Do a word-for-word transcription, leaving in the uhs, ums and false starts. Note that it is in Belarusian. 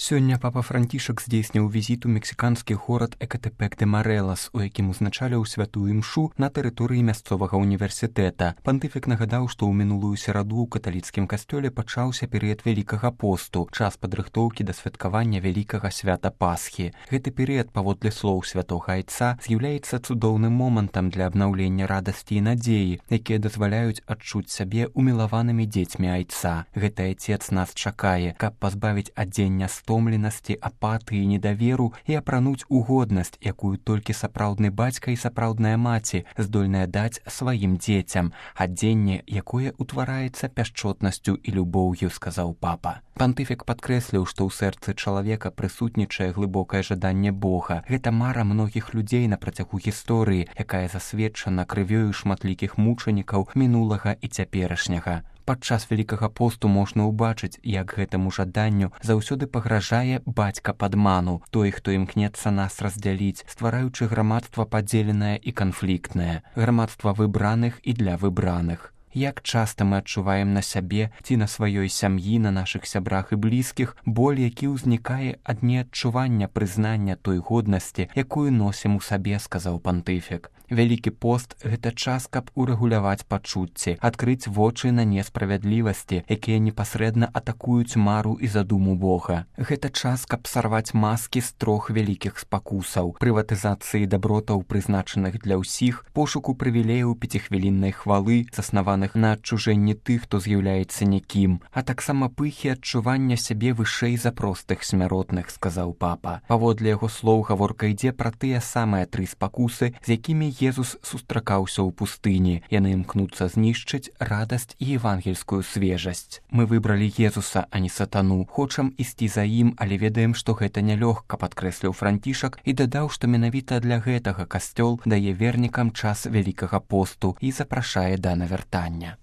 Сёння папа Францішак здзейсніў візіт у мексіканскі горад Экатэпек-де-Марэлас, у якім узначаліў святую імшу на тэрыторыі мясцовага універсітэта. Пантыфік нагадаў, што ў мінулую сераду ў каталіцкім касцёле пачаўся перыяд вялікага посту, час падрыхтоўкі да святкавання вялікага свята Пасхі. Гэты перыяд, паводле слоў святога айца, з'яўляецца цудоўным момантам для абнаўлення радасці і надзеі, якія дазваляюць адчуць сябе умілаванымі дзецьмі айца. Гэты айцец нас чакае, каб пазбавіць адзення стомленасці, апатыі, недаверу і апрануць у годнасць, якую толькі сапраўдны бацька і сапраўдная маці здольная даць сваім дзецям, адзенне, якое ўтвараецца пяшчотнасцю і любоўю, сказаў папа. Пантыфік падкрэсліў, што ў сэрцы чалавека прысутнічае глыбокае жаданне Бога. Гэта мара многіх людзей на працягу гісторыі, якая засведчана крывёю шматлікіх мучанікаў мінулага і цяперашняга. Падчас вялікага посту можна ўбачыць, як гэтаму жаданню заўсёды пагражае бацька падману, той, хто імкнецца нас раздзяліць, ствараючы грамадства падзеленае і канфліктнае, грамадства выбраных і для выбраных. Як часта мы адчуваем на сябе ці на сваёй сям'і, на нашых сябрах і блізкіх боль, які ўзнікае ад неадчування прызнання той годнасці, якую носім у сабе, сказаў пантыфік. Вялікі пост – гэта час, каб урэгуляваць пачуцці, адкрыць вочы на несправядлівасці, якія непасрэдна атакуюць мару і задуму Бога. Гэта час, каб сарваць маскі з трох вялікіх спакусаў – прыватызацыі дабротаў, прызначаных для ўсіх, пошуку прывілеяў пяцихвіліннай хвалы, заснаваных на адчужэнні тых, хто з'яўляецца нікім, а таксама пыхі адчування сябе вышэй за простых смяротных, сказаў папа. Паводле яго слоў гаворка ідзе пра тыя самыя тры спакусы, з якімі Езус сустракаўся ў пустыні. Яны імкнуцца знішчыць радасць і евангельскую свежасць. Мы выбралі Езуса, а не сатану. Хочам ісці за ім, але ведаем, што гэта нялёгка, падкрэсліў Францішак і дадаў, што менавіта для гэтага касцёл дае вернікам час вялікага посту і запрашае да навяртання.